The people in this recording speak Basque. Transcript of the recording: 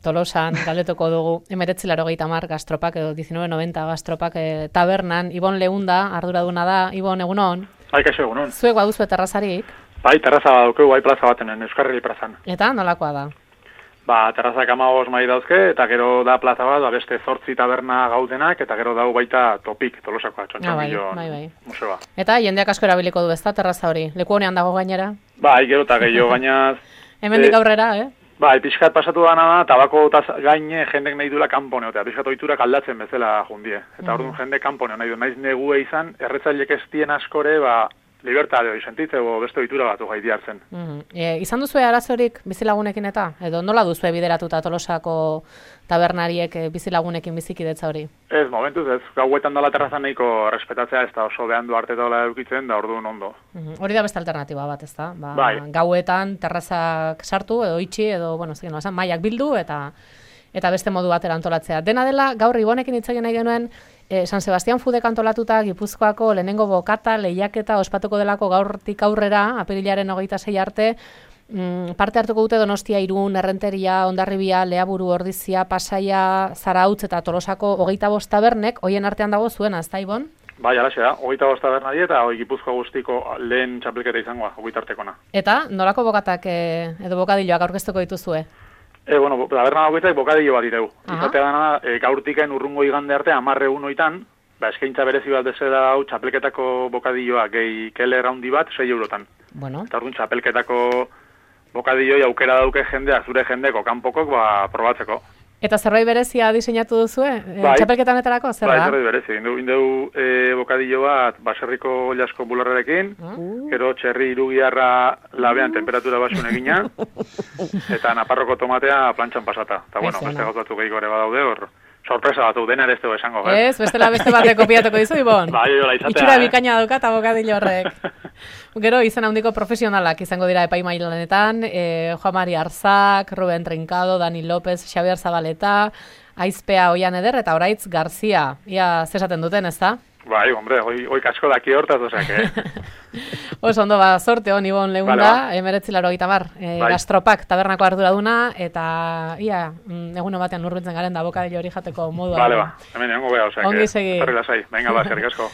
Tolosan galdetuko dugu 1980 gastropak edo 1990 gastropak tabernan Ibon Leunda arduraduna da. Ibon, egunon? Bai, kaixo, egunon. Zuek baduzu terrazarik? Bai, terraza badauke, bai plaza baten, Euskarri plazan. Eta nolakoa da? Terrazak 15 mai dauzke, eta gero da plaza bat, beste 8 taberna gaudenak, eta gero dau baita Topik, Tolosakoa, Txontxamillo museoa. Eta jendeak asko erabiliko du ezta terraza hori? Leku honean dago gainera? Bai, gero eta gehiago gainaz... Hemendik aurrera, Bai, pixkat pasatu dana da, tabako gaine jendek nahi duela kanpo neotea, pixkat oiturak aldatzen bezala jundie. Eta orduan jende kanpo nahi du, naiz negue izan, erretzailek ez dien askore, libertade hori sentitze, beste oitura batu gaiti hartzen. Izan duzue arazorik bizilagunekin eta? Edo nola duzue bideratuta Tolosako tabernariek bizilagunekin bizikidetza hori? Ez, momentuz ez. Gauetan dala terrazan nahiko respetatzea, ez da oso behan du arte dola edukitzen, da orduan ondo. Hori da beste alternatiba bat, ez da? Bai. Gauetan terrazak sartu, edo itxi, edo, maiak bildu, eta beste modu batera antolatzea. Dena dela, gaur Ibonekin hitz egin nahi genuen, San Sebastian Fudek antolatuta Gipuzkoako lehenengo bokata, lehiaketa, ospatuko delako gaurtik aurrera, apirilaren 26 arte, parte hartuko dute Donostia, Irun, Errenteria, Hondarribia, Leaburu, Ordizia, Pasaia, Zarautz eta Tolosako 25 tabernek, hoien artean dago zuena, ez da, Ibon? Bai, alaxe da, 25 tabernari eta Gipuzkoa guztiko lehen txapelketa izangoa, 25 Eta, nolako bokatak edo bokadilloak aurkeztuko dituzue? Taberna bakoitzak bokadillo bat direu. Izatea dana, gaurtiken urrungo igande arte, 10 egunoitan, eskaintza berezi bat bezala hau, txapelketako bokadilloa gehi keller handi bat, 6 eurotan. Eta orduan txapelketako bokadilloi aukera dauke jendeak, zure jendeko, kanpokok, probatzeko. Eta zerbait berezia diseinatu duzue? Bai. Txapelketan etarako, zer da? Bai, zerbait berezi. Indeu bokadillo bat baserriko jasko bularrarekin, gero txerri irugiarra labean temperatura basun egina, eta naparroko tomatea plantxan pasata. Eta beste gauz batzuk gehiago ere badaude hor. Sorpresa batu, dena ere ez dugu esango, Ez, bestela beste batek kopiatuko dizu, Ibon? Bai, jola izatea, Itxura bikaina dauka eta bokadillo horrek. Gero izan handiko profesionalak izango dira epaimailanetan, Juan Mari Arzak, Ruben Trincado, Dani López, Xabier Zabaleta, Aizpea Oian Eder eta Oraitz Garzia. Ia zesaten duten, ez da? Bai, hombre, hoi kasko daki hortaz, ozak, Oso ondo, sorte hon, Ibon Leunda, 1980 gastropak tabernako arduraduna, eta ia, eguno batean urbiltzen garen da bokadillo hori jateko modua. Hemen egongo beha, ozak, ongi segi. Zerri lasai, venga, eskerrik asko.